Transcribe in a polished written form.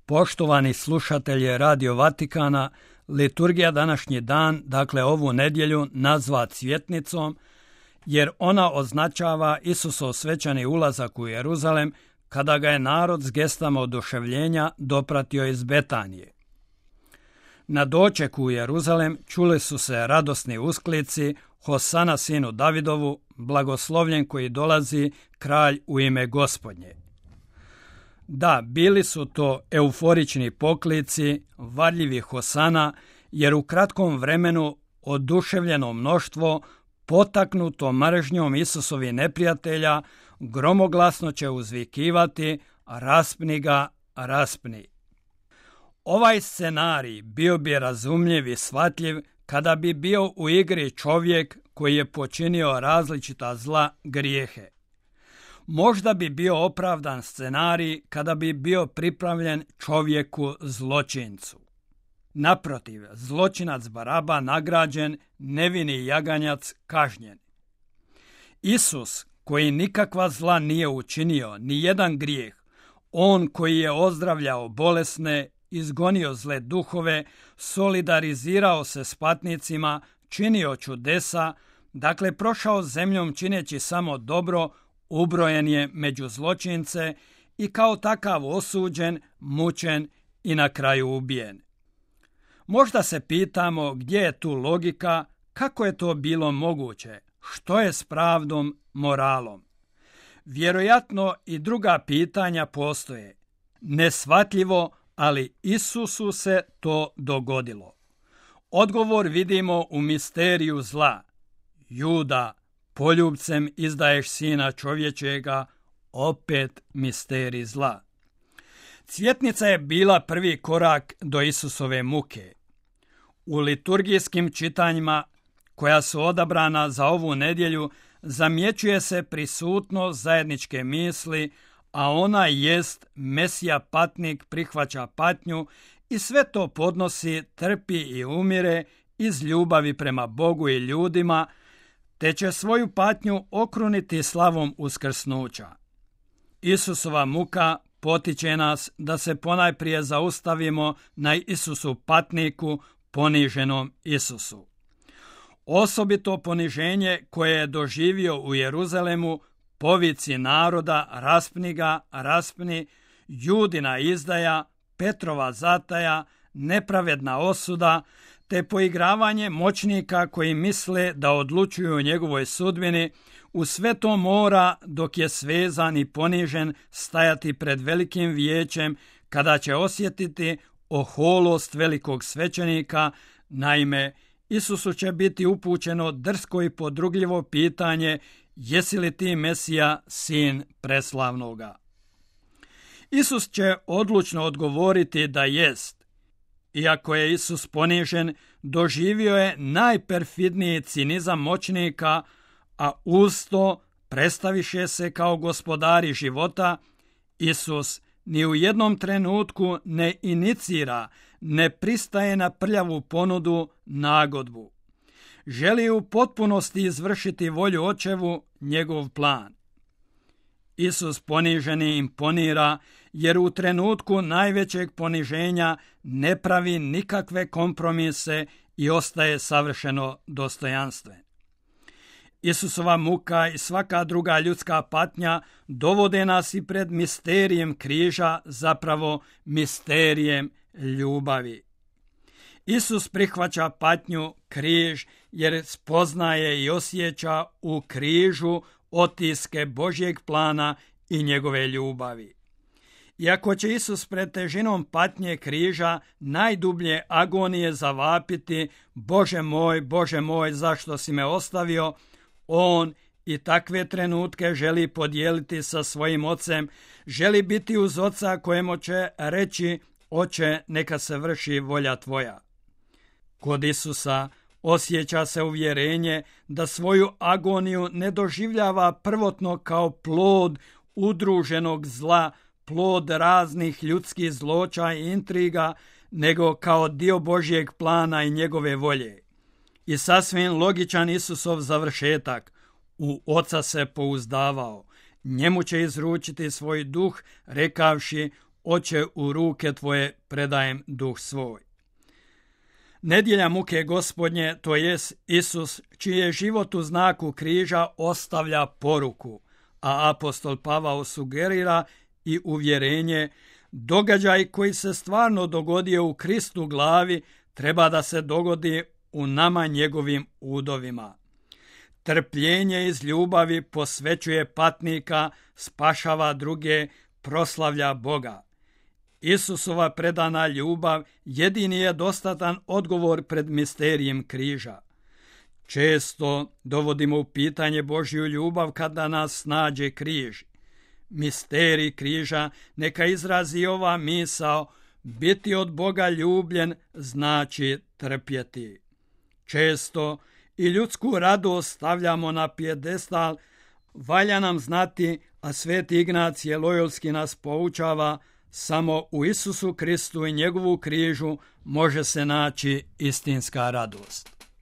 Poštovani slušatelji Radio Vatikana, liturgija današnji dan, dakle ovu nedjelju, nazva Cvjetnicom, jer ona označava Isusov svečani ulazak u Jeruzalem kada ga je narod s gestama oduševljenja dopratio iz Betanije. Na dočeku u Jeruzalem čuli su se radosni usklici Hosana sinu Davidovu, blagoslovljen koji dolazi, kralj u ime Gospodnje. Da, bili su to euforični poklici, varljivi Hosana, jer u kratkom vremenu oduševljeno mnoštvo, potaknuto mržnjom Isusovih neprijatelja, gromoglasno će uzvikivati: raspni ga, raspni. Ovaj scenarij bio bi razumljiv i shvatljiv kada bi bio u igri čovjek koji je počinio različita zla, grijehe. Možda bi bio opravdan scenarij kada bi bio pripravljen čovjeku zločincu. Naprotiv, zločinac Baraba nagrađen, nevini jaganjac kažnjen. Isus, koji nikakva zla nije učinio, ni jedan grijeh, on koji je ozdravljao bolesne, izgonio zle duhove, solidarizirao se s patnicima, činio čudesa, dakle prošao zemljom čineći samo dobro, ubrojen je među zločince i kao takav osuđen, mučen i na kraju ubijen. Možda se pitamo gdje je tu logika, kako je to bilo moguće, što je s pravdom, moralom. Vjerojatno i druga pitanja postoje. Neshvatljivo, ali Isusu se to dogodilo. Odgovor vidimo u misteriju zla. Juda, poljubcem izdaješ sina čovječega, opet misterij zla. Cvjetnica je bila prvi korak do Isusove muke. U liturgijskim čitanjima koja su odabrana za ovu nedjelju zamjećuje se prisutnost zajedničke misli, a ona jest Mesija patnik prihvaća patnju i sve to podnosi, trpi i umire iz ljubavi prema Bogu i ljudima, te će svoju patnju okruniti slavom uskrsnuća. Isusova muka potiče nas da se ponajprije zaustavimo na Isusu patniku, poniženom Isusu. Osobito poniženje koje je doživio u Jeruzalemu, povici naroda raspni ga, raspni, Judina izdaja, Petrova zataja, nepravedna osuda, te poigravanje moćnika koji misle da odlučuju o njegovoj sudbini, u sve to mora, dok je svezan i ponižen, stajati pred velikim vijećem kada će osjetiti oholost velikog svećenika. Naime, Isusu će biti upućeno drsko i podrugljivo pitanje: jesi li ti Mesija, sin preslavnoga? Isus će odlučno odgovoriti da jest. Iako je Isus ponižen, doživio je najperfidniji cinizam moćnika, a uz to predstaviše se kao gospodari života. Isus ni u jednom trenutku ne inicira, ne pristaje na prljavu ponudu, nagodbu. Želi u potpunosti izvršiti volju očevu, njegov plan. Isus poniženi imponira, jer u trenutku najvećeg poniženja ne pravi nikakve kompromise i ostaje savršeno dostojanstven. Isusova muka i svaka druga ljudska patnja dovode nas i pred misterijem križa, zapravo misterijem ljubavi. Isus prihvaća patnju, križ, jer spoznaje i osjeća u križu otiske Božjeg plana i njegove ljubavi. Iako će Isus pred težinom patnje križa najdublje agonije zavapiti: Bože moj, zašto si me ostavio?, on i takve trenutke želi podijeliti sa svojim ocem, želi biti uz oca kojemu će reći: Oče, neka se vrši volja tvoja. Kod Isusa osjeća se uvjerenje da svoju agoniju ne doživljava prvotno kao plod udruženog zla, plod raznih ljudskih zloča i intriga, nego kao dio Božjeg plana i njegove volje. I sasvim logičan Isusov završetak: u Oca se pouzdavao, njemu će izručiti svoj duh, rekavši: Oče, u ruke tvoje predajem duh svoj. Nedjelja muke Gospodnje, to jest Isus, čiji je život u znaku križa, ostavlja poruku, a apostol Pavao sugerira i uvjerenje, događaj koji se stvarno dogodio u Kristu glavi treba da se dogodi u nama njegovim udovima. Trpljenje iz ljubavi posvećuje patnika, spašava druge, proslavlja Boga. Isusova predana ljubav jedini je dostatan odgovor pred misterijem križa. Često dovodimo u pitanje Božju ljubav kada nas nađe križ. Misterij križa neka izrazi ova misao, biti od Boga ljubljen znači trpjeti. Često i ljudsku radost stavljamo na pijedestal, valja nam znati, a sveti Ignacije Lojolski nas poučava, samo u Isusu Kristu i njegovu križu može se naći istinska radost.